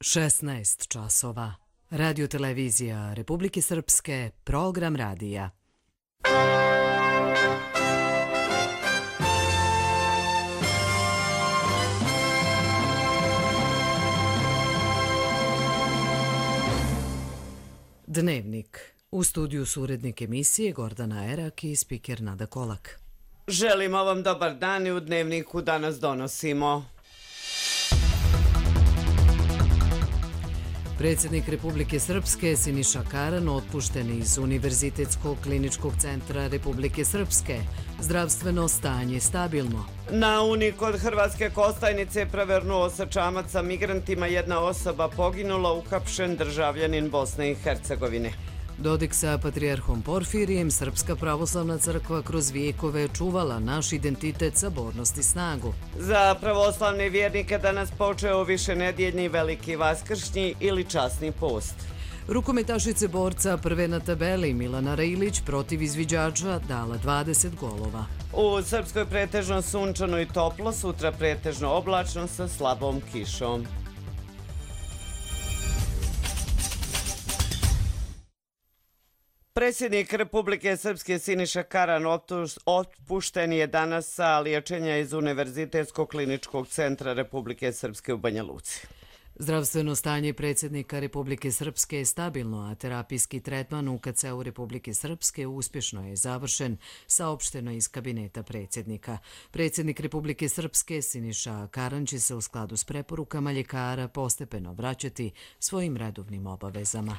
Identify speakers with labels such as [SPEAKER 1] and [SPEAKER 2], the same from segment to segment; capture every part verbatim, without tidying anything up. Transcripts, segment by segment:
[SPEAKER 1] šesnaest časova. Radio-televizija Republike Srpske, program radija. Dnevnik. U studiju su urednik emisije Gordana Erak i spiker Nada Kolak.
[SPEAKER 2] Želimo vam dobar dan i u Dnevniku danas donosimo.
[SPEAKER 1] Predsjednik Republike Srpske Siniša Karan otpušten iz Univerzitetskog kliničkog centra Republike Srpske. Zdravstveno stanje stabilno.
[SPEAKER 2] Na Uni kod Hrvatske Kostajnice prevrnuo se čamac sa migrantima, jedna osoba poginula, uhapšen državljanin Bosne i Hercegovine.
[SPEAKER 1] Dodik sa patrijarhom Porfirijem, Srpska pravoslavna crkva kroz vijekove čuvala naš identitet, sabornost i snagu.
[SPEAKER 2] Za pravoslavne vjernike danas počeo višenedjeljni veliki vaskršnji ili časni post.
[SPEAKER 1] Rukometašice borca prve na tabeli Milana Rejlić protiv izviđača dala dvadeset golova.
[SPEAKER 2] U Srpskoj pretežno sunčano i toplo, sutra pretežno oblačno sa slabom kišom. Predsjednik Republike Srpske Siniša Karan otpušten je danas sa liječenja iz Univerzitetskog kliničkog centra Republike Srpske u Banja Luci.
[SPEAKER 1] Zdravstveno stanje predsjednika Republike Srpske je stabilno, a terapijski tretman u K C U Republike Srpske uspješno je završen, saopšteno iz kabineta predsjednika. Predsjednik Republike Srpske Siniša Karan će se u skladu s preporukama ljekara postepeno vraćati svojim redovnim obavezama.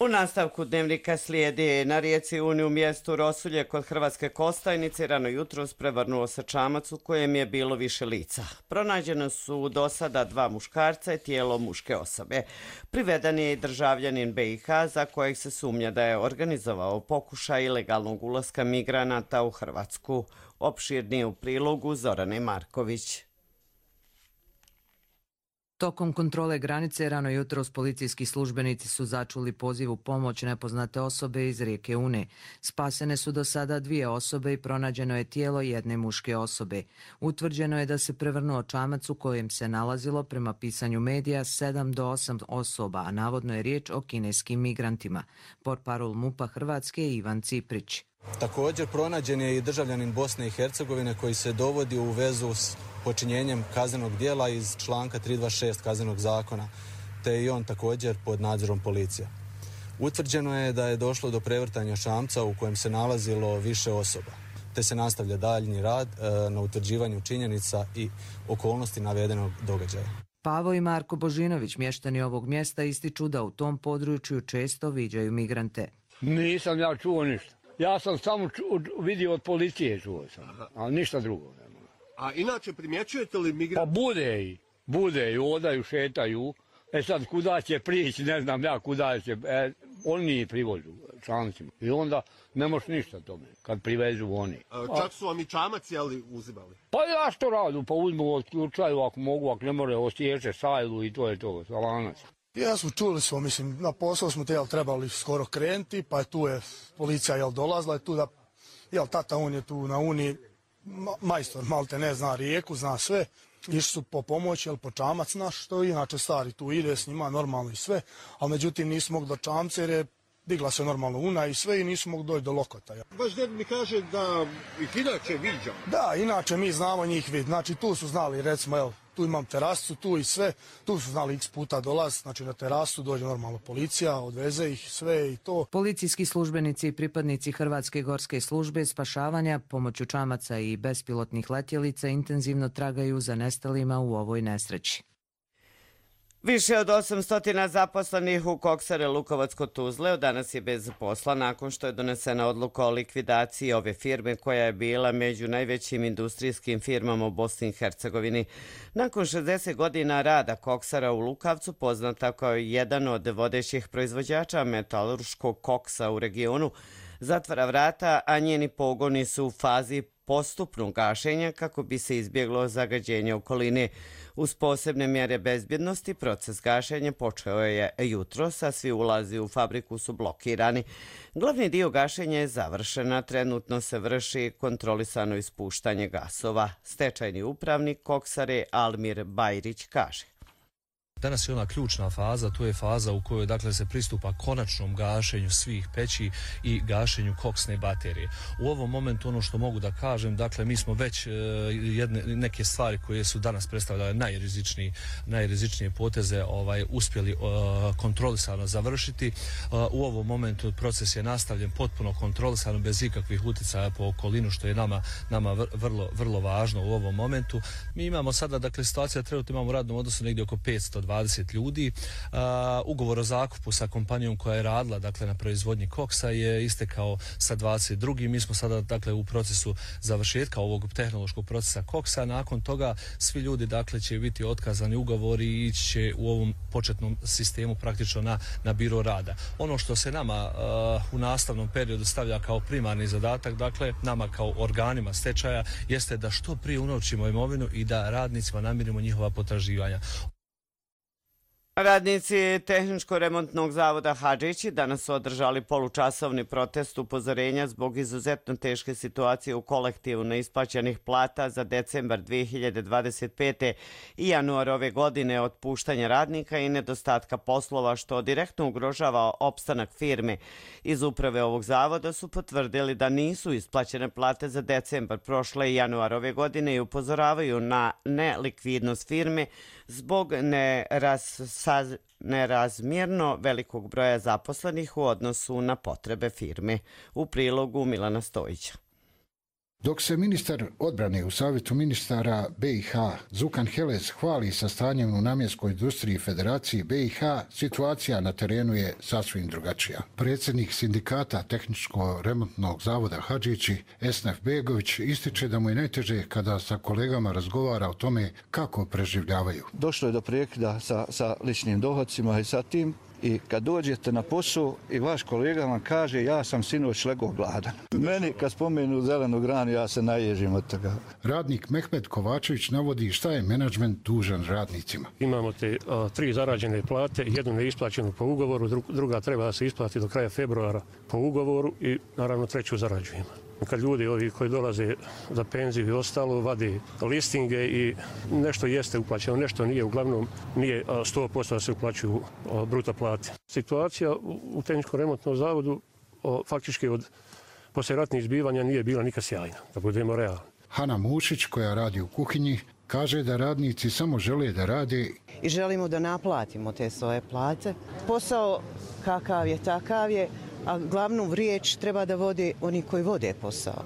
[SPEAKER 2] U nastavku Dnevnika slijedi na rijeci Uni u mjestu Rosulje kod Hrvatske Kostajnice rano jutros prevrnuo se čamac u kojem je bilo više lica. Pronađeno su do sada dva muškarca i tijelo muške osobe. Priveden je i državljanin B i H za kojeg se sumnja da je organizovao pokušaj ilegalnog ulaska migranata u Hrvatsku. Opširnije u prilogu Zorane Marković.
[SPEAKER 3] Tokom kontrole granice rano jutros policijski službenici su začuli poziv u pomoć nepoznate osobe iz rijeke Une. Spasene su do sada dvije osobe i pronađeno je tijelo jedne muške osobe. Utvrđeno je da se prevrnuo čamac u kojem se nalazilo, prema pisanju medija, sedam do osam osoba, a navodno je riječ o kineskim migrantima. Portparol MUP-a Hrvatske je Ivan Ciprić.
[SPEAKER 4] Također pronađen je i državljanin Bosne i Hercegovine koji se dovodi u vezu s počinjenjem kaznenog dijela iz članka tristo dvadeset šest Kaznenog zakona, te je i on također pod nadzorom policije. Utvrđeno je da je došlo do prevrtanja čamca u kojem se nalazilo više osoba, te se nastavlja daljnji rad e, na utvrđivanju činjenica i okolnosti navedenog događaja.
[SPEAKER 3] Pavo i Marko Božinović, mještani ovog mjesta, ističu da u tom području često viđaju migrante.
[SPEAKER 5] Nisam ja čuo ništa. Ja sam samo ču, vidio od policije, čuo sam, ali ništa drugo.
[SPEAKER 6] A inače primjećujete li migrante?
[SPEAKER 5] Pa bude i, bude i, odaju, šetaju. E sad, kuda će prići, ne znam ja kuda će, e, oni privozu čamcima. I onda ne možeš ništa tome, kad privezu oni.
[SPEAKER 6] A, čak su vam i čamac, jeli, uzimali?
[SPEAKER 5] Pa ja što radu, pa uzmu od slučaju, ako mogu, ako ne more, osjeće sajlu i to je to, salanac.
[SPEAKER 7] Ja smo čuli smo, mislim, na posao smo te, jel, trebali skoro krenuti, pa je tu je policija, jel, dolazila, je tu da, jel, tata, on je tu na Uni, ma, majstor, malte ne, zna rijeku, zna sve, išli su po pomoć, jel, po čamac naš, što inače stari tu ide s njima, normalno i sve, ali međutim nisu mogli do čamca jer je digla se normalno Una i sve i nisu mogli doći do Lokota. Ja.
[SPEAKER 6] Baš ded mi kaže da ih inače viđa.
[SPEAKER 7] Da, inače mi znamo njih vidjeti, znači tu su znali, recimo, jel, tu imam terasu, tu i sve, tu su znali x puta dolaz, znači na terasu dođe normalno policija, odveze ih sve i to.
[SPEAKER 3] Policijski službenici i pripadnici Hrvatske gorske službe spašavanja pomoću čamaca i bespilotnih letjelica intenzivno tragaju za nestalima u ovoj nesreći.
[SPEAKER 2] Više od osamsto zaposlenih u Koksare Lukovac kod Tuzle danas je bez posla nakon što je donesena odluka o likvidaciji ove firme koja je bila među najvećim industrijskim firmama u Bosni i Hercegovini. Nakon šezdeset godina rada Koksara u Lukavcu, poznata kao jedan od vodećih proizvođača metalurškog koksa u regionu, zatvara vrata, a njeni pogoni su u fazi postupnog gašenja kako bi se izbjeglo zagađenje okoline. Uz posebne mjere bezbjednosti proces gašenja počeo je jutros, a svi ulazi u fabriku su blokirani. Glavni dio gašenja je završen, a trenutno se vrši kontrolisano ispuštanje gasova. Stečajni upravnik Koksare Almir Bajrić kaže.
[SPEAKER 8] Danas je ona ključna faza, to je faza u kojoj dakle se pristupa konačnom gašenju svih peći i gašenju koksne baterije. U ovom momentu ono što mogu da kažem, dakle mi smo već e, jedne, neke stvari koje su danas predstavljale najrizičnije, najrizičnije poteze ovaj, uspjeli e, kontrolisano završiti. E, u ovom momentu proces je nastavljen potpuno kontrolisano, bez ikakvih utjecaja po okolinu, što je nama, nama vrlo, vrlo važno u ovom momentu. Mi imamo sada, dakle situacija trenutno imamo u radnom odnosu negdje oko petsto dvadeset ljudi. Uh, ugovor o zakupu sa kompanijom koja je radila dakle na proizvodnji koksa je istekao sa dvadeset drugim Mi smo sada dakle u procesu završetka ovog tehnološkog procesa koksa. Nakon toga svi ljudi dakle će biti otkazani ugovori i ići će u ovom početnom sistemu praktično na, na biro rada. Ono što se nama uh, u nastavnom periodu stavlja kao primarni zadatak, dakle nama kao organima stečaja, jeste da što prije unovčimo imovinu i da radnicima namirimo njihova potraživanja.
[SPEAKER 2] Radnici Tehničko-remontnog zavoda Hadžići danas su održali polučasovni protest upozorenja zbog izuzetno teške situacije u kolektivu neisplaćenih plata za decembar dvije hiljade dvadeset pete i januar ove godine, otpuštanja radnika i nedostatka poslova, što direktno ugrožava opstanak firme. Iz uprave ovog zavoda su potvrdili da nisu isplaćene plate za decembar prošle i januar ove godine i upozoravaju na nelikvidnost firme zbog neraz, nerazmjerno velikog broja zaposlenih u odnosu na potrebe firme. U prilogu Milana Stojića.
[SPEAKER 9] Dok se ministar odbrane u Savjetu ministara B i H Zukan Helez hvali sa stanjem u namjenskoj industriji Federacije B i H, situacija na terenu je sasvim drugačija. Predsjednik sindikata Tehničko-remontnog zavoda Hadžići, Esnaf Begović, ističe da mu je najteže kada sa kolegama razgovara o tome kako preživljavaju.
[SPEAKER 10] Došlo je do prekida sa, sa ličnim dohodcima i sa tim. I kad dođete na posao i vaš kolega vam kaže ja sam sinoć legao gladan. Meni kad spomenu zelenu granu ja se naježim od toga.
[SPEAKER 9] Radnik Mehmed Kovačević navodi šta je menadžment dužan radnicima.
[SPEAKER 11] Imamo te a, tri zarađene plate, jednu neisplaćenu po ugovoru, druga treba da se isplati do kraja februara po ugovoru i naravno treću zarađujemo. Kad ljudi ovi koji dolaze za penziju i ostalo vade listinge i nešto jeste uplaćeno, nešto nije, uglavnom nije sto posto da se uplaćuju bruto plate. Situacija u Tehničko-remontnom zavodu faktički od poslijeratnih zbivanja nije bila nikad sjajna, da budemo realni.
[SPEAKER 9] Hana Mušić, koja radi u kuhinji, kaže da radnici samo žele da rade
[SPEAKER 12] i želimo da naplatimo te svoje plate. Posao kakav je, takav je, a glavnu riječ treba da vode oni koji vode posao.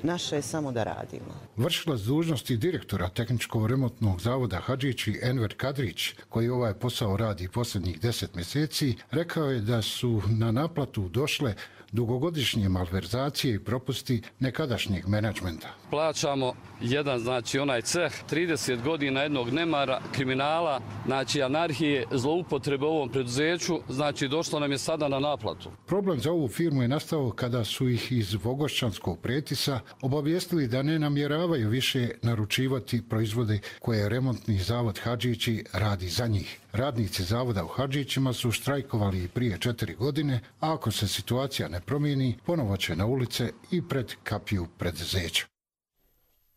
[SPEAKER 12] Naše je samo da radimo.
[SPEAKER 9] Vršilac dužnosti direktora Tehničko-remontnog zavoda Hadžići Enver Kadrić, koji ovaj posao radi posljednjih deset mjeseci, rekao je da su na naplatu došle dugogodišnje malverzacije i propusti nekadašnjeg menadžmenta.
[SPEAKER 13] Plaćamo jedan, znači onaj ceh, trideset godina jednog nemara, kriminala, znači anarhije, zloupotrebe u ovom preduzeću, znači došlo nam je sada na naplatu.
[SPEAKER 9] Problem za ovu firmu je nastao kada su ih iz Vogošćanskog Pretisa obavijestili da ne namjeravaju više naručivati proizvode koje remontni zavod Hadžići radi za njih. Radnici zavoda u Hadžićima su štrajkovali i prije četiri godine, a ako se situacija ne promijeni, ponovo će na ulice i pred kapiju preduzeća.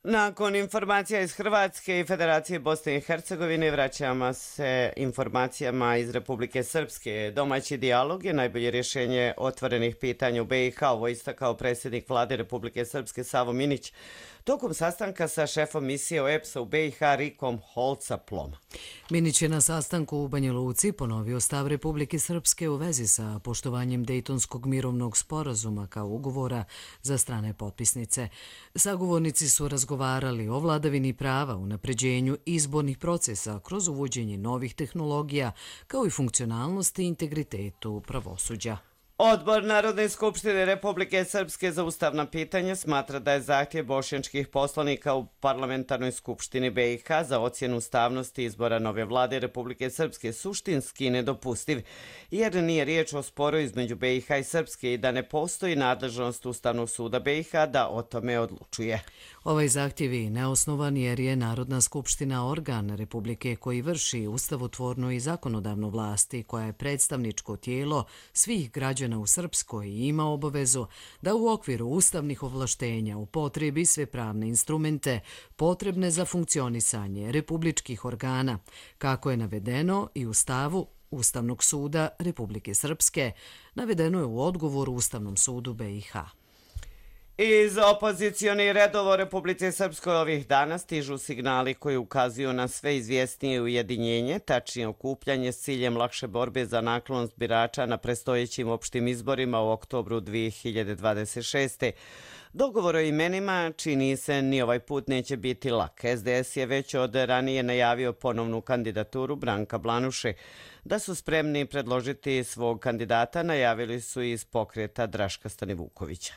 [SPEAKER 2] Nakon informacija iz Hrvatske i Federacije Bosne i Hercegovine vraćamo se informacijama iz Republike Srpske. Domaći dijalog je najbolje rješenje otvorenih pitanja u B i H, ovo istakao predsjednik vlade Republike Srpske Savo Minić tokom sastanka sa šefom misije O E P S-a u B i H Rikom Holcaplom.
[SPEAKER 1] Minić je na sastanku u Banja Luci ponovio stav Republike Srpske u vezi sa poštovanjem Dejtonskog mirovnog sporazuma kao ugovora za strane potpisnice. Sagovornici su razgovarali o vladavini prava, unapređenju izbornih procesa kroz uvođenje novih tehnologija, kao i funkcionalnosti i integritetu pravosuđa.
[SPEAKER 2] Odbor Narodne skupštine Republike Srpske za ustavna pitanja smatra da je zahtjev bošnjačkih poslanika u parlamentarnoj skupštini B i H za ocjenu ustavnosti izbora nove vlade Republike Srpske suštinski nedopustiv, jer nije riječ o sporu između B i H i Srpske i da ne postoji nadležnost Ustavnog suda B i H da o tome odlučuje.
[SPEAKER 1] Ovaj zahtjev je neosnovan jer je Narodna skupština organ Republike koji vrši ustavotvornu i zakonodavnu vlasti koja je predstavničko tijelo svih građana u Srpskoj i ima obavezu da u okviru ustavnih ovlaštenja upotrebi sve pravne instrumente potrebne za funkcionisanje republičkih organa, kako je navedeno i u stavu Ustavnog suda Republike Srpske, navedeno je u odgovoru Ustavnom sudu B i H.
[SPEAKER 2] Iz opozicionih redova u Republici Srpskoj ovih dana stižu signali koji ukazuju na sve izvjesnije ujedinjenje, tačnije okupljanje s ciljem lakše borbe za naklonost birača na predstojećim opštim izborima u oktobru dvije hiljade dvadeset šeste. Dogovor o imenima čini se ni ovaj put neće biti lak. S D S je već od ranije najavio ponovnu kandidaturu Branka Blanuše. Da su spremni predložiti svog kandidata najavili su iz pokreta Draška Stanivukovića.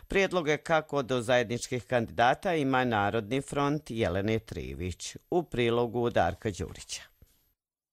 [SPEAKER 2] Prijedloge kako do zajedničkih kandidata ima Narodni front Jelene Trivić. U prilogu Darka Đurića.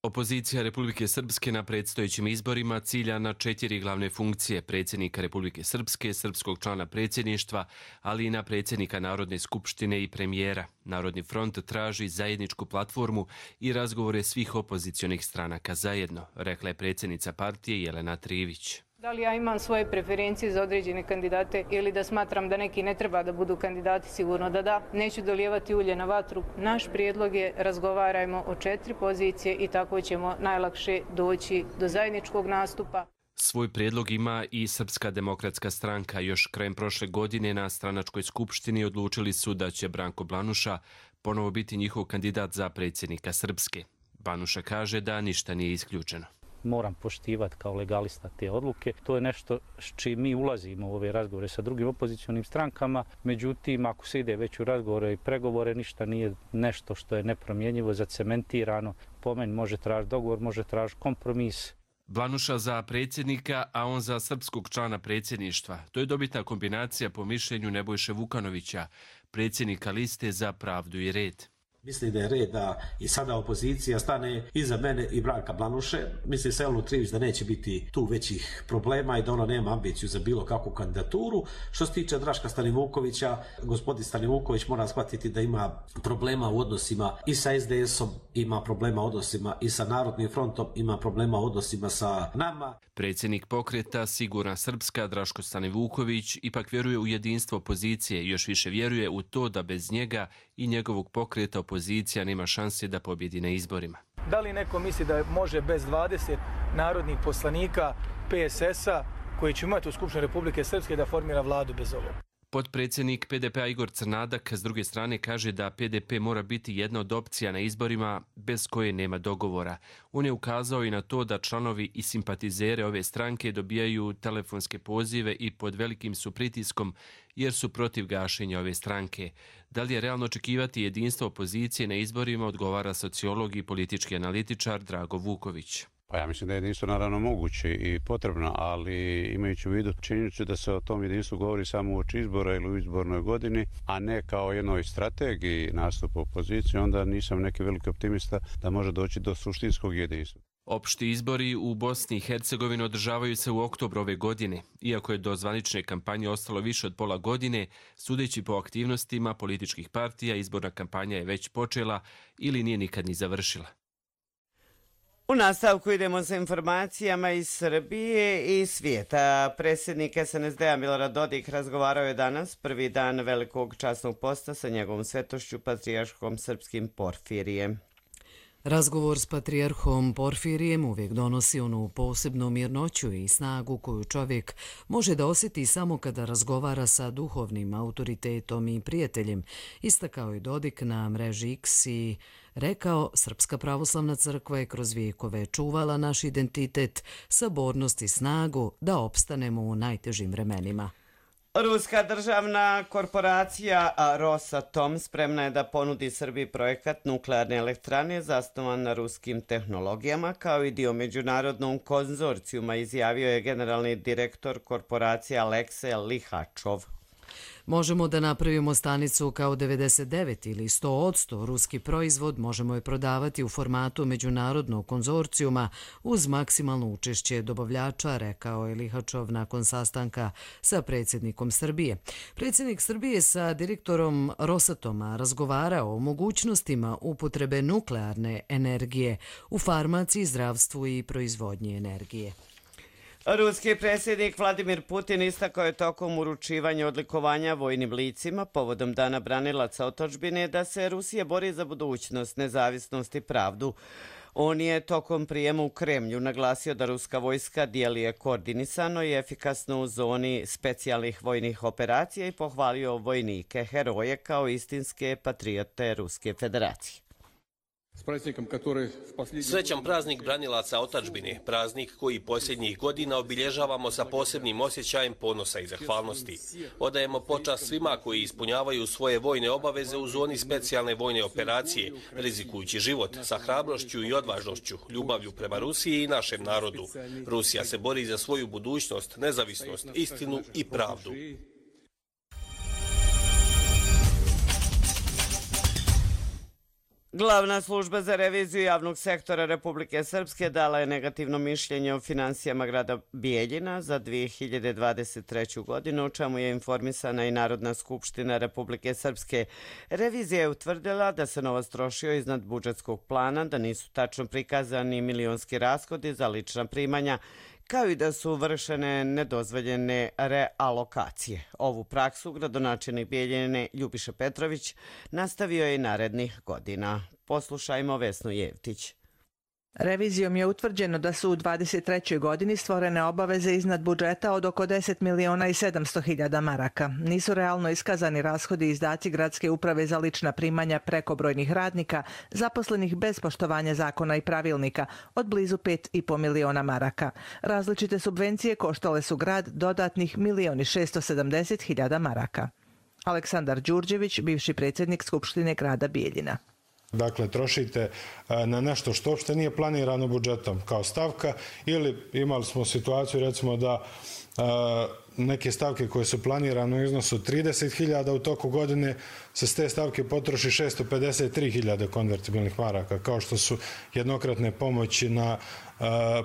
[SPEAKER 14] Opozicija Republike Srpske na predstojećim izborima cilja na četiri glavne funkcije: predsjednika Republike Srpske, srpskog člana predsjedništva, ali i na predsjednika Narodne skupštine i premijera. Narodni front traži zajedničku platformu i razgovore svih opozicionih stranaka zajedno, rekla je predsjednica partije Jelena Trivić.
[SPEAKER 15] Da li ja imam svoje preferencije za određene kandidate ili da smatram da neki ne treba da budu kandidati, sigurno da da. Neću dolijevati ulje na vatru. Naš prijedlog je razgovarajmo o četiri pozicije i tako ćemo najlakše doći do zajedničkog nastupa.
[SPEAKER 14] Svoj prijedlog ima i Srpska demokratska stranka. Još krajem prošle godine na stranačkoj skupštini odlučili su da će Branko Blanuša ponovo biti njihov kandidat za predsjednika Srpske. Blanuša kaže da ništa nije isključeno.
[SPEAKER 16] Moram poštivati kao legalista te odluke. To je nešto s čim mi ulazimo u ove razgovore sa drugim opozicionim strankama. Međutim, ako se ide već u razgovore i pregovore, ništa nije nešto što je nepromjenjivo, zacementirano. Po meni može tražiti dogovor, može tražiti kompromis.
[SPEAKER 14] Blanuša za predsjednika, a on za srpskog člana predsjedništva. To je dobitna kombinacija po mišljenju Nebojše Vukanovića, predsjednika liste za pravdu i red.
[SPEAKER 17] Mislim da je red da i sada opozicija stane iza mene i Branka Blanuše. Mislim se Jelenu Trivić da neće biti tu većih problema i da ona nema ambiciju za bilo kakvu kandidaturu. Što se tiče Draška Stanivukovića, gospodin Stanivuković mora shvatiti da ima problema u odnosima i sa S D S-om, ima problema u odnosima i sa Narodnim frontom, ima problema u odnosima sa nama.
[SPEAKER 14] Predsjednik pokreta Sigurna Srpska Draško Stanivuković ipak vjeruje u jedinstvo opozicije i još više vjeruje u to da bez njega i njegovog pokreta opozicija nema šanse da pobjedi na izborima.
[SPEAKER 18] Da li neko misli da može bez dvadeset narodnih poslanika P S S-a koji će imati u Skupštini Republike Srpske da formira vladu bez ovog?
[SPEAKER 14] Potpredsjednik P D P-a Igor Crnadak s druge strane kaže da P D P mora biti jedna od opcija na izborima bez koje nema dogovora. On je ukazao i na to da članovi i simpatizere ove stranke dobijaju telefonske pozive i pod velikim su pritiskom jer su protiv gašenja ove stranke. Da li je realno očekivati jedinstvo opozicije na izborima, odgovara sociolog i politički analitičar Drago Vuković.
[SPEAKER 19] Pa ja mislim da je jedinstvo naravno moguće i potrebno, ali imajući u vidu činjenicu da se o tom jedinstvu govori samo uoči izbora ili u izbornoj godini, a ne kao jednoj strategiji nastupa opozicije, onda nisam neki veliki optimista da može doći do suštinskog jedinstva.
[SPEAKER 14] Opšti izbori u Bosni i Hercegovini održavaju se u oktobru ove godine. Iako je do zvanične kampanje ostalo više od pola godine, sudeći po aktivnostima političkih partija, izborna kampanja je već počela ili nije nikad ni završila.
[SPEAKER 2] U nastavku idemo sa informacijama iz Srbije i svijeta. Predsjednik S N S D-a Milorad Dodik razgovarao je danas, prvi dan velikog časnog posta, sa njegovom svetošću patrijarhom srpskim Porfirijem.
[SPEAKER 1] Razgovor s patrijarhom Porfirijem uvijek donosi onu posebnu mirnoću i snagu koju čovjek može da osjeti samo kada razgovara sa duhovnim autoritetom i prijateljem, istakao je Dodik na mreži X i rekao: Srpska pravoslavna crkva je kroz vijekove čuvala naš identitet, sabornost i snagu da opstanemo u najtežim vremenima.
[SPEAKER 2] Ruska državna korporacija Rosatom spremna je da ponudi Srbiji projekat nuklearne elektrane zasnovan na ruskim tehnologijama kao i dio međunarodnog konzorcijuma, izjavio je generalni direktor korporacije Aleksej Lihačov.
[SPEAKER 1] Možemo da napravimo stanicu kao devedeset devet ili sto posto ruski proizvod, možemo je prodavati u formatu međunarodnog konzorcijuma uz maksimalno učešće dobavljača, rekao je Lihačov nakon sastanka sa predsjednikom Srbije. Predsjednik Srbije sa direktorom Rosatoma razgovarao o mogućnostima upotrebe nuklearne energije u farmaciji, zdravstvu i proizvodnji energije.
[SPEAKER 2] Ruski predsjednik Vladimir Putin istakao je tokom uručivanja odlikovanja vojnim licima povodom Dana branilaca otadžbine da se Rusija bori za budućnost, nezavisnost i pravdu. On je tokom prijema u Kremlju naglasio da ruska vojska djeluje koordinisano i efikasno u zoni specijalnih vojnih operacija i pohvalio vojnike, heroje kao istinske patriote Ruske federacije.
[SPEAKER 20] Srećan praznik branilaca otadžbine, praznik koji posljednjih godina obilježavamo sa posebnim osjećajem ponosa i zahvalnosti. Odajemo počast svima koji ispunjavaju svoje vojne obaveze u zoni specijalne vojne operacije, rizikujući život sa hrabrošću i odvažnošću, ljubavlju prema Rusiji i našem narodu. Rusija se bori za svoju budućnost, nezavisnost, istinu i pravdu.
[SPEAKER 2] Glavna služba za reviziju javnog sektora Republike Srpske dala je negativno mišljenje o finansijama grada Bijeljina za dvije hiljade dvadeset treću. godinu, o čemu je informisana i Narodna skupština Republike Srpske. Revizija je utvrdila da se novac trošio iznad budžetskog plana, da nisu tačno prikazani milionski rashodi za lična primanja, kao i da su vršene nedozvoljene realokacije. Ovu praksu gradonačelnik Bijeljine Ljubiša Petrović nastavio je i narednih godina. Poslušajmo Vesnu Jevtić.
[SPEAKER 21] Revizijom je utvrđeno da su u dvadeset trećoj. godini stvorene obaveze iznad budžeta od oko deset miliona i sedamsto hiljada maraka. Nisu realno iskazani rashodi i izdaci gradske uprave za lična primanja prekobrojnih radnika, zaposlenih bez poštovanja zakona i pravilnika, od blizu pet i po miliona maraka. Različite subvencije koštale su grad dodatnih milion i šesto sedamdeset hiljada maraka. Aleksandar Đurđević, bivši predsjednik Skupštine grada Bijeljina.
[SPEAKER 22] Dakle, trošite na nešto što uopšte nije planirano budžetom kao stavka, ili imali smo situaciju recimo da neke stavke koje su planirane u iznosu trideset hiljada u toku godine se s te stavke potroši šesto pedeset tri hiljade konvertibilnih maraka, kao što su jednokratne pomoći na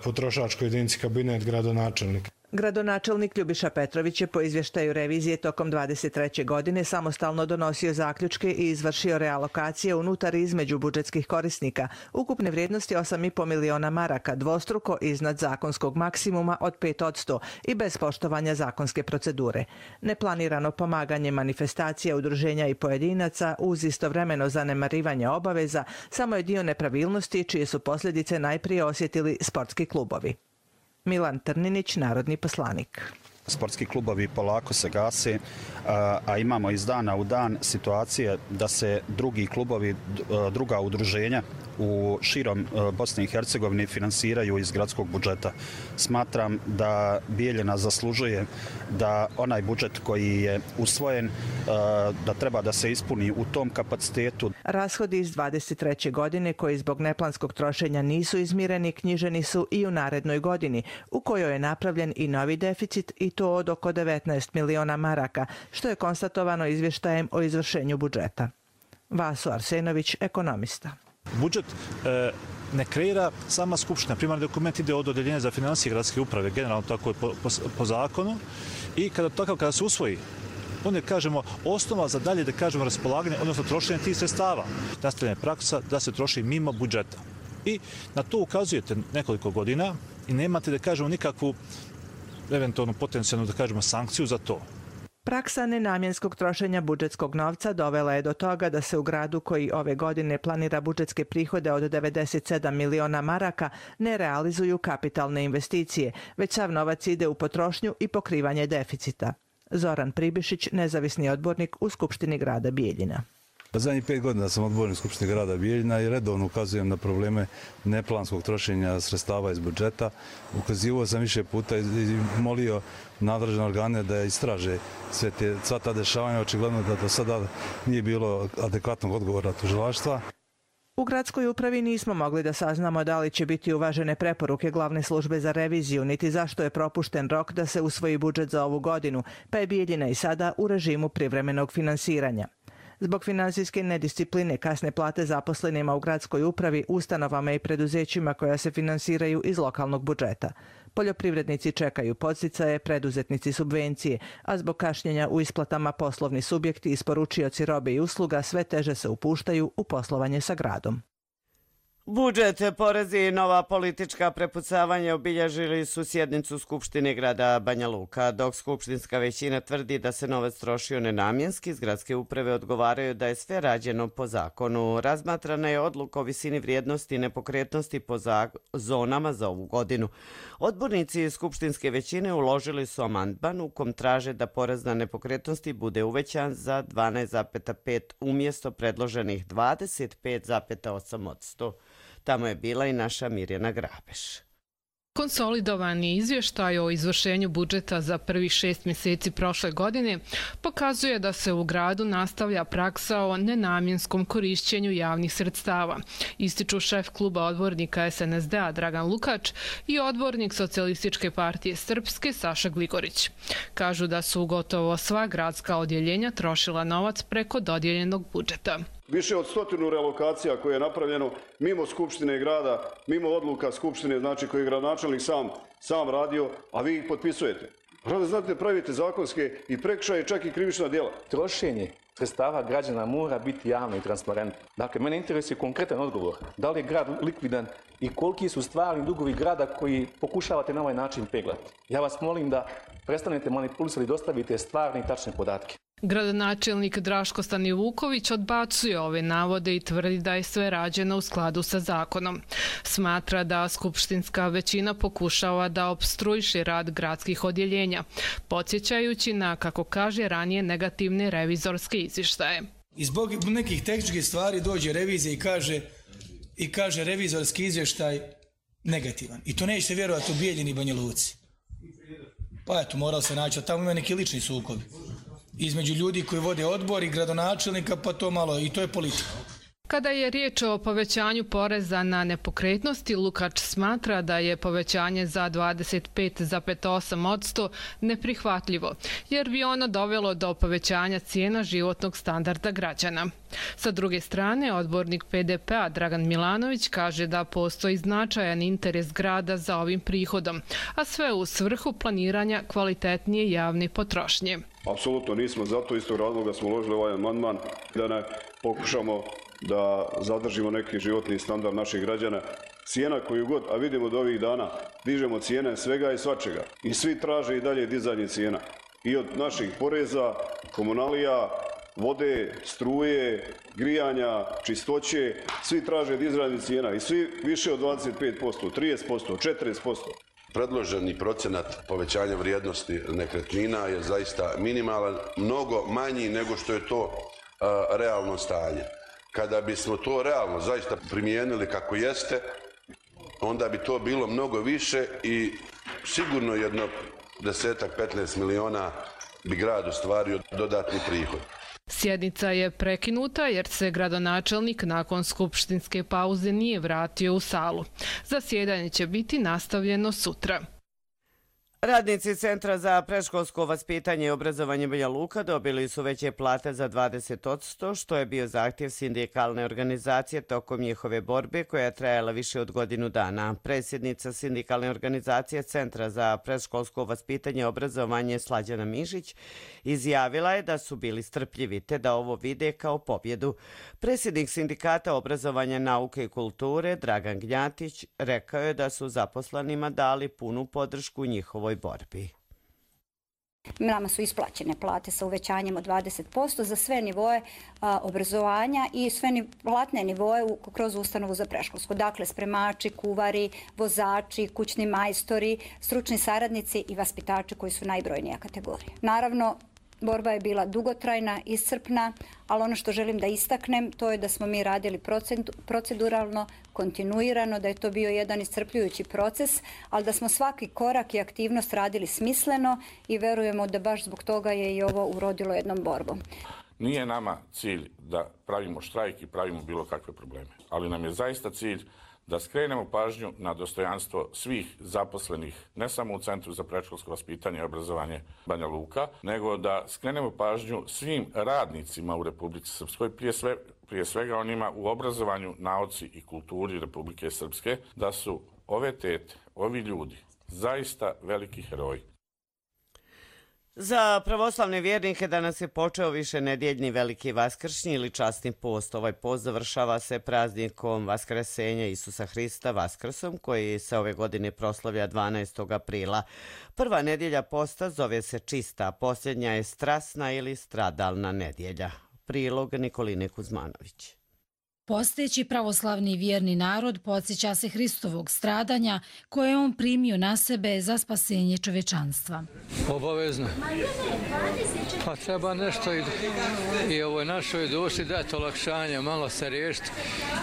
[SPEAKER 22] potrošačkoj jedinici kabinet gradonačelnika.
[SPEAKER 21] Gradonačelnik Ljubiša Petrović je po izvještaju revizije tokom dvadeset treće. godine samostalno donosio zaključke i izvršio realokacije unutar i između budžetskih korisnika, ukupne vrijednosti osam i po miliona maraka, dvostruko iznad zakonskog maksimuma od pet posto i bez poštovanja zakonske procedure. Neplanirano pomaganje manifestacija, udruženja i pojedinaca uz istovremeno zanemarivanje obaveza samo je dio nepravilnosti čije su posljedice najprije osjetili sportski klubovi. Milan Trninić, narodni poslanik.
[SPEAKER 23] Sportski klubovi polako se gase, a imamo iz dana u dan situacije da se drugi klubovi, druga udruženja u širom Bosne i Hercegovine finansiraju iz gradskog budžeta. Smatram da Bijeljina zaslužuje da onaj budžet koji je usvojen, da treba da se ispuni u tom kapacitetu.
[SPEAKER 21] Rashodi iz dvadeset treće. godine koji zbog neplanskog trošenja nisu izmireni knjiženi su i u narednoj godini, u kojoj je napravljen i novi deficit i to od oko devetnaest miliona maraka, što je konstatovano izvještajem o izvršenju budžeta. Vaso Arsenović, ekonomista.
[SPEAKER 24] Budžet e, ne kreira sama Skupština. Primarni dokument ide od odeljenja za financije gradske uprave, generalno tako je po, po, po zakonu. I kada, takav, kada se usvoji, onda kažemo osnova za dalje da kažemo raspolaganje, odnosno trošenje tih sredstava. Nastavljena je praksa da se troši mimo budžeta. I na to ukazujete nekoliko godina i nemate da kažemo nikakvu eventualno potencijalnu da kažemo sankciju za to.
[SPEAKER 21] Praksa nenamjenskog trošenja budžetskog novca dovela je do toga da se u gradu koji ove godine planira budžetske prihode od devedeset sedam miliona maraka ne realizuju kapitalne investicije, već sav novac ide u potrošnju i pokrivanje deficita. Zoran Pribišić, nezavisni odbornik u Skupštini grada Bijeljina.
[SPEAKER 25] Zadnjih pet godina sam odbornik Skupštine grada Bijeljina i redovno ukazujem na probleme neplanskog trošenja sredstava iz budžeta. Ukazivao sam više puta i molio nadležne organe da istraže sve te, sva ta dešavanja. Očigledno da do sada nije bilo adekvatnog odgovora tužilaštva.
[SPEAKER 21] U gradskoj upravi nismo mogli da saznamo da li će biti uvažene preporuke glavne službe za reviziju, niti zašto je propušten rok da se usvoji budžet za ovu godinu, pa je Bijeljina i sada u režimu privremenog finansiranja. Zbog finansijske nediscipline, kasne plate zaposlenima u gradskoj upravi, ustanovama i preduzećima koja se finansiraju iz lokalnog budžeta. Poljoprivrednici čekaju podsticaje, preduzetnici subvencije, a zbog kašnjenja u isplatama poslovni subjekti, isporučioci robe i usluga sve teže se upuštaju u poslovanje sa gradom.
[SPEAKER 2] Budžet, porezi i nova politička prepucavanja obilježili su sjednicu Skupštine grada Banja Luka. Dok skupštinska većina tvrdi da se novac trošio nenamjenski, iz gradske uprave odgovaraju da je sve rađeno po zakonu. Razmatrana je odluka o visini vrijednosti nepokretnosti po zonama za ovu godinu. Odbornici skupštinske većine uložili su amandman u kom traže da porez na nepokretnosti bude uvećan za dvanaest zarez pet umjesto predloženih dvadeset pet zarez osam posto. Tamo je bila i naša Mirjana Grabeš.
[SPEAKER 3] Konsolidovani izvještaj o izvršenju budžeta za prvih šest mjeseci prošle godine pokazuje da se u gradu nastavlja praksa o nenamjenskom korišćenju javnih sredstava, ističu šef kluba odbornika es en es de a Dragan Lukač i odbornik Socijalističke partije Srpske Saša Gligorić. Kažu da su gotovo sva gradska odjeljenja trošila novac preko dodijeljenog budžeta.
[SPEAKER 4] Više od stotinu realokacija koje je napravljeno mimo Skupštine grada, mimo odluka Skupštine, znači koji je gradonačelnik sam, sam radio, a vi ih potpisujete. Rade, znate, pravite zakonske i prekršaje, čak i krivična djela.
[SPEAKER 5] Trošenje sredstava građana mora biti javno i transparentno. Dakle, mene interesuje konkretan odgovor. Da li je grad likvidan i koliki su stvarni dugovi grada koji pokušavate na ovaj način peglati? Ja vas molim da prestanete manipulisati i dostavite stvarne i tačne podatke.
[SPEAKER 3] Gradonačelnik Draško Stanivuković odbacuje ove navode i tvrdi da je sve rađeno u skladu sa zakonom. Smatra da skupštinska većina pokušava da opstruiše rad gradskih odjeljenja, podsjećajući na, kako kaže, ranije negativne revizorske izvještaje.
[SPEAKER 18] I zbog nekih tehničkih stvari dođe revizija i kaže, i kaže revizorski izvještaj negativan. I to nećete vjerovati u Bijeljini i Banja Luci. Pa eto, moralo se naći, tamo ima neki lični sukobi između ljudi koji vode odbor i gradonačelnika, pa to malo, i to je politika.
[SPEAKER 3] Kada je riječ o povećanju poreza na nepokretnosti, Lukač smatra da je povećanje za dvadeset pet zarez osam posto neprihvatljivo, jer bi ono dovelo do povećanja cijena životnog standarda građana. Sa druge strane, odbornik pe de pe a Dragan Milanović kaže da postoji značajan interes grada za ovim prihodom, a sve u svrhu planiranja kvalitetnije javne potrošnje.
[SPEAKER 4] Apsolutno nismo, zato istog razloga smo uložili ovaj amandman da ne pokušamo da zadržimo neki životni standard naših građana. Cijena koju god, a vidimo do ovih dana, dižemo cijene svega i svačega. I svi traže i dalje dizanje cijena. I od naših poreza, komunalija, vode, struje, grijanja, čistoće, svi traže dizanje cijena. I svi više od dvadeset pet posto, trideset posto, četrdeset posto.
[SPEAKER 6] Predloženi procenat povećanja vrijednosti nekretnina je zaista minimalan, mnogo manji nego što je to a, realno stanje. Kada bismo to realno zaista primijenili kako jeste, onda bi to bilo mnogo više i sigurno jedno desetak, petnaest miliona bi grad ostvario dodatni prihod.
[SPEAKER 3] Sjednica je prekinuta jer se gradonačelnik nakon skupštinske pauze nije vratio u salu. Zasjedanje će biti nastavljeno sutra.
[SPEAKER 2] Radnici Centra za predškolsko vaspitanje i obrazovanje Banja Luka dobili su veće plate za dvadeset posto, što je bio zahtjev sindikalne organizacije tokom njihove borbe koja je trajala više od godinu dana. Predsjednica sindikalne organizacije Centra za predškolsko vaspitanje i obrazovanje Slađana Mišić izjavila je da su bili strpljivi te da ovo vide kao pobjedu. Predsjednik sindikata obrazovanja, nauke i kulture Dragan Gnjatić rekao je da su zaposlenima dali punu podršku njihovoj borbi.
[SPEAKER 7] Nama su isplaćene plate sa uvećanjem od dvadeset posto za sve nivoe a, obrazovanja i sve ni, platne nivoe u, kroz ustanovu za predškolsko. Dakle, spremači, kuvari, vozači, kućni majstori, stručni saradnici i vaspitači koji su najbrojnija kategorija. Naravno, borba je bila dugotrajna, iscrpna, ali ono što želim da istaknem to je da smo mi radili proceduralno, kontinuirano, da je to bio jedan iscrpljujući proces, ali da smo svaki korak i aktivnost radili smisleno i verujemo da baš zbog toga je i ovo urodilo jednom borbom.
[SPEAKER 8] Nije nama cilj da pravimo štrajk i pravimo bilo kakve probleme, ali nam je zaista cilj da skrenemo pažnju na dostojanstvo svih zaposlenih, ne samo u Centru za predškolsko vaspitanje i obrazovanje Banja Luka, nego da skrenemo pažnju svim radnicima u Republici Srpskoj, prije, sve, prije svega onima u obrazovanju, nauci i kulturi Republike Srpske, da su ove tete, ovi ljudi, zaista veliki heroji.
[SPEAKER 2] Za pravoslavne vjernike danas je počeo višenedjeljni veliki vaskršnji ili časni post. Ovaj post završava se praznikom Vaskrsenja Isusa Hrista Vaskrsom, koji se ove godine proslavlja dvanaestog aprila. Prva nedjelja posta zove se čista, a posljednja je strasna ili stradalna nedjelja. Prilog Nikoline Kuzmanović.
[SPEAKER 10] Posteći pravoslavni vjerni narod podsjeća se Hristovog stradanja koje je on primio na sebe za spasenje čovečanstva.
[SPEAKER 11] Obavezno. Pa treba nešto i, i ovoj našoj duši dati olakšanje, malo se riješiti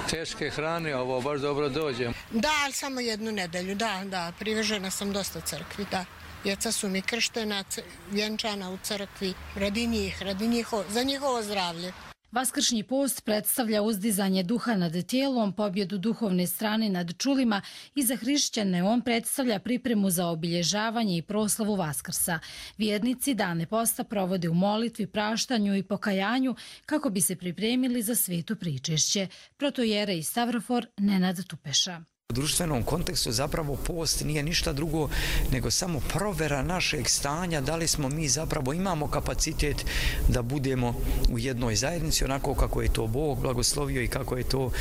[SPEAKER 11] teške hrane, ovo baš dobro dođe.
[SPEAKER 12] Da, ali samo jednu nedelju, da, da, privežena sam dosta crkvi, da. Djeca su mi krštena, vjenčana u crkvi, radi njih, radi njihovo, za njihovo zdravlje.
[SPEAKER 10] Vaskršnji post predstavlja uzdizanje duha nad tijelom, pobjedu duhovne strane nad čulima i za hrišćane on predstavlja pripremu za obilježavanje i proslavu Vaskrsa. Vjernici dane posta provode u molitvi, praštanju i pokajanju kako bi se pripremili za sveto pričešće. Protojere i Stavrofor Nenad Tupeša.
[SPEAKER 13] U društvenom kontekstu zapravo post nije ništa drugo nego samo provjera našeg stanja, da li smo mi zapravo imamo kapacitet da budemo u jednoj zajednici onako kako je to Bog blagoslovio i kako je to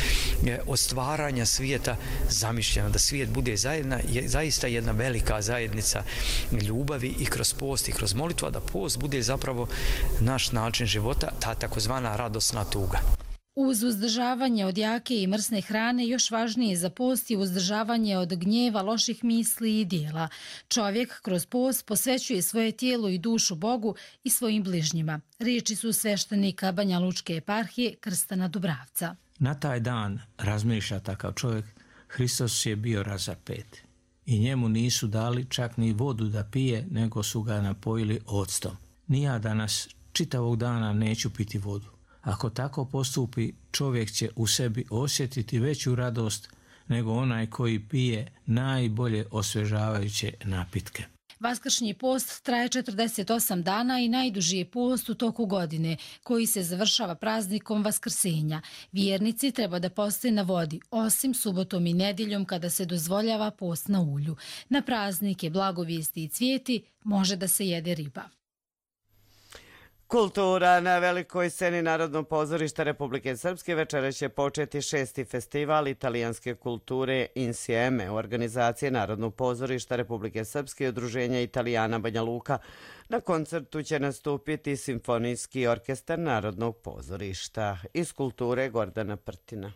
[SPEAKER 13] od stvaranja svijeta zamišljeno, da svijet bude zajedna, je zaista jedna velika zajednica ljubavi i kroz post i kroz molitvu, a da post bude zapravo naš način života, ta takozvana radosna tuga.
[SPEAKER 10] Uz uzdržavanje od jake i mrsne hrane još važnije za post je uzdržavanje od gnjeva, loših misli i dijela. Čovjek kroz post posvećuje svoje tijelo i dušu Bogu i svojim bližnjima. Riječi su sveštenika Banja Lučke eparhije Krstana Dubravca.
[SPEAKER 26] Na taj dan, razmišlja takav čovjek, Hristos je bio razapet i njemu nisu dali čak ni vodu da pije, nego su ga napojili octom. Ni ja danas čitavog dana neću piti vodu. Ako tako postupi, čovjek će u sebi osjetiti veću radost nego onaj koji pije najbolje osvežavajuće napitke.
[SPEAKER 10] Vaskršnji post traje četrdeset osam dana i najduži je post u toku godine, koji se završava praznikom Vaskrsenja. Vjernici treba da poste na vodi, osim subotom i nedjeljom kada se dozvoljava post na ulju. Na praznike, blagovijesti i cvijeti može da se jede riba.
[SPEAKER 2] Kultura na velikoj sceni Narodnog pozorišta Republike Srpske večeras će početi šesti festival italijanske kulture Insieme u organizaciji Narodnog pozorišta Republike Srpske i Udruženja Italijana Banja Luka. Na koncertu će nastupiti Simfonijski orkestar Narodnog pozorišta. Iz kulture Gordana Prtina.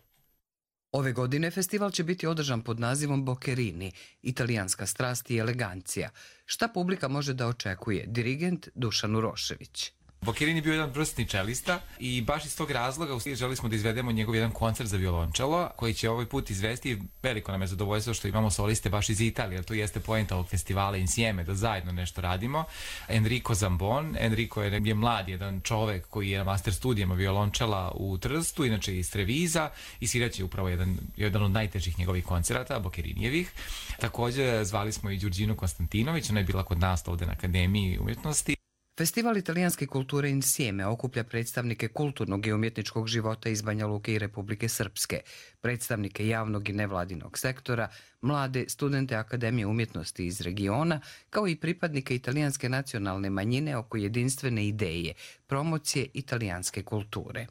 [SPEAKER 27] Ove godine festival će biti održan pod nazivom Boccherini, italijanska strast i elegancija. Šta publika može da očekuje? Dirigent Dušan Urošević.
[SPEAKER 28] Boccherini je bio jedan vrsni čelista i baš iz tog razloga želi smo da izvedemo njegov jedan koncert za violončelo koji će ovaj put izvesti. Veliko nam je zadovoljstvo što imamo soliste baš iz Italije, jer to jeste poenta ovog festivala Insieme, da zajedno nešto radimo. Enrico Zambon, Enrico je, je mlad jedan čovek koji je na master studijama violončela u Trstu, inače iz Treviza, i sviraće upravo jedan, jedan od najtežih njegovih koncerata, Boccerinijevih. Također zvali smo i Đurđinu Konstantinović, ona je bila kod nas ovde na Akademiji umjetnosti.
[SPEAKER 27] Festival italijanske kulture Insieme okuplja predstavnike kulturnog i umjetničkog života iz Banja Luke i Republike Srpske, predstavnike javnog i nevladinog sektora, mlade studente Akademije umjetnosti iz regiona, kao i pripadnike italijanske nacionalne manjine oko jedinstvene ideje, promocije italijanske kulture.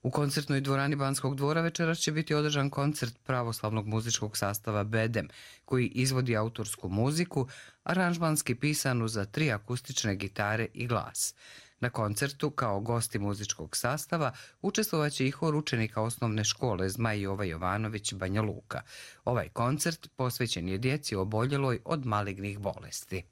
[SPEAKER 27] U koncertnoj dvorani Banskog dvora večeras će biti održan koncert pravoslavnog muzičkog sastava Bedem, koji izvodi autorsku muziku, aranžmanski pisanu za tri akustične gitare i glas. Na koncertu, kao gosti muzičkog sastava, učestvovaće i hor učenika osnovne škole Zmaj Jova Jovanović Banja Luka. Ovaj koncert posvećen je djeci oboljeloj od malignih bolesti.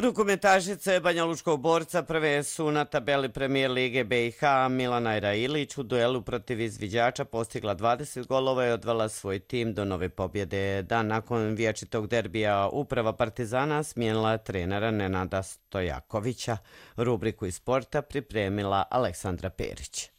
[SPEAKER 2] Rukometašice Banjalučkog borca prve su na tabeli Premijer Lige B i H. Milana Railić u duelu protiv izviđača postigla dvadeset golova i odvela svoj tim do nove pobjede. Dan nakon vječitog derbija uprava Partizana smijenila trenera Nenada Stojakovića. Rubriku iz sporta pripremila Aleksandra Perić.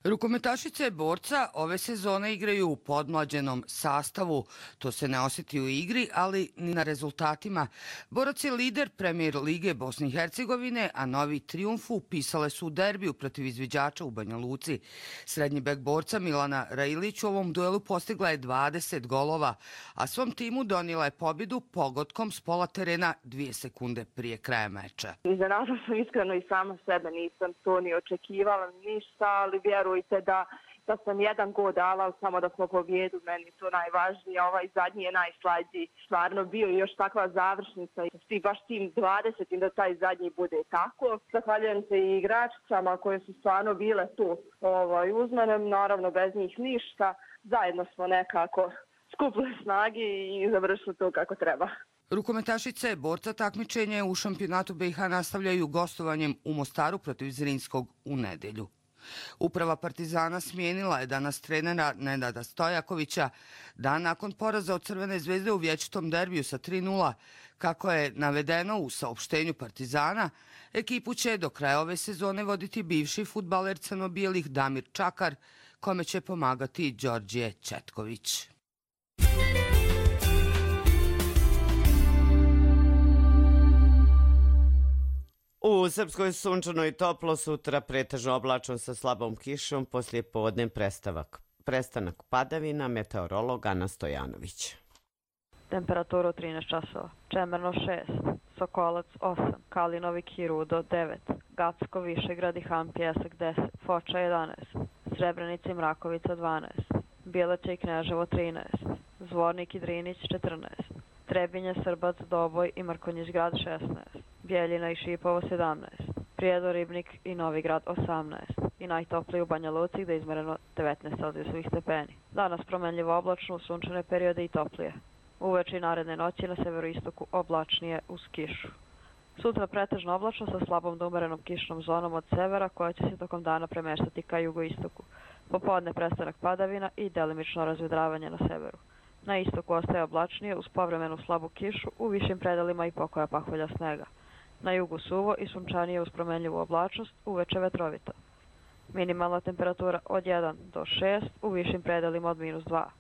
[SPEAKER 1] Rukometašice borca ove sezone igraju u podmlađenom sastavu. To se ne osjeti u igri, ali ni na rezultatima. Borac je lider Premijer Lige Bosne i Hercegovine, a novi trijumf upisale su u derbiju protiv izviđača u Banja Luci. Srednji bek borca Milana Railić u ovom duelu postigla je dvadeset golova, a svom timu donijela je pobjedu pogodkom s pola terena dvije sekunde prije kraja meča.
[SPEAKER 9] Iznenadila sam iskreno i sama sebe, nisam to ni očekivala ništa, ali vjerujem Da, da sam jedan gol dala, samo da smo pobjedu, meni to najvažnije, ovaj zadnji je najslađiji. Stvarno bio još takva završnica i baš tim dvadesetim da taj zadnji bude tako. Zahvaljujem se i igračicama koje su stvarno bile tu ovaj, uz mene, naravno bez njih ništa. Zajedno smo nekako skupili snage i završili to kako treba.
[SPEAKER 1] Rukometašice borca takmičenja u šampionatu B i H nastavljaju gostovanjem u Mostaru protiv Zrinskog u nedelju. Uprava Partizana smijenila je danas trenera Nenada Stojakovića dan nakon poraza od Crvene zvezde u vječitom derbiju sa tri nula. Kako je navedeno u saopštenju Partizana, ekipu će do kraja ove sezone voditi bivši fudbaler crno-bijelih Damir Čakar, kome će pomagati Đorđe Četković.
[SPEAKER 2] U Srpskoj sunčano i toplo, sutra pretežno oblačno sa slabom kišom, poslije podne prestavak. Prestanak padavina, meteorolog Ana Stojanović.
[SPEAKER 14] Temperaturu trinaest časova, Čemerno šest, Sokolac osam, Kalinovik i Rudo devet, Gacko, Višegrad i Han Pjesak deset, Foča jedanaest, Srebrenica i Mrakovica dvanaest, Bjelaća i Kneževo trinaest, Zvornik i Drinić četrnaest, Trebinje, Srbac, Doboj i Mrkonjić grad šesnaest, Bjeljina i Šipovo sedamnaest, Prijedor, Ribnik i Novi grad osamnaest i najtopliji u Banja Luci gde je izmereno devetnaest celzijusovih stepeni. Danas promenljivo oblačno, sunčane periode i toplije. Uveče i naredne noći na severoistoku oblačnije uz kišu. Sutra pretežno oblačno sa slabom do umerenom kišnom zonom od severa koja će se tokom dana premeštati ka jugoistoku. Popodne prestanak padavina i delimično razvedravanje na severu. Na istoku ostaje oblačnije uz povremenu slabu kišu u višim predalima i pokoja pahulja snega. Na jugu suvo i sunčanije uz promenljivu oblačnost, uveče vetrovito. Minimalna temperatura od jedan do šest, u višim predalima od minus dva.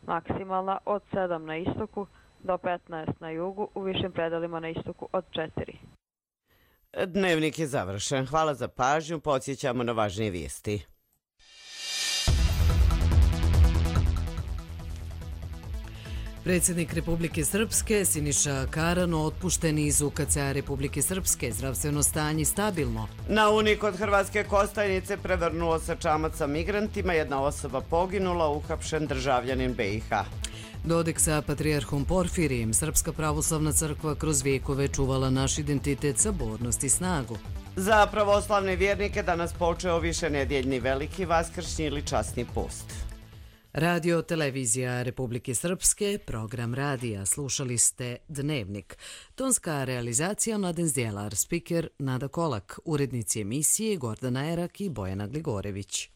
[SPEAKER 14] Maksimalna od sedam na istoku do petnaest na jugu, u višim predalima na istoku od četiri.
[SPEAKER 2] Dnevnik je završen. Hvala za pažnju. Podsjećamo na važnije vijesti.
[SPEAKER 15] Predsjednik Republike Srpske Siniša Karano otpušten iz U K C-a Republike Srpske, zdravstveno stanje stabilno.
[SPEAKER 2] Na Uni kod Hrvatske Kostajnice prevrnuo se čamac sa migrantima, jedna osoba poginula, uhapšen državljanin B i H.
[SPEAKER 15] Dodik sa patrijarhom Porfirijem, Srpska pravoslavna crkva kroz vijekove čuvala naš identitet, sabornost i snagu.
[SPEAKER 2] Za pravoslavne vjernike danas počeo višenedjeljni veliki vaskršnji ili časni post.
[SPEAKER 15] Radio Televizija Republike Srpske, program radija, slušali ste Dnevnik. Tonska realizacija Mladen Zdjelar, spiker Nada Kolak, urednici emisije Gordana Erak i Bojana Gligorević.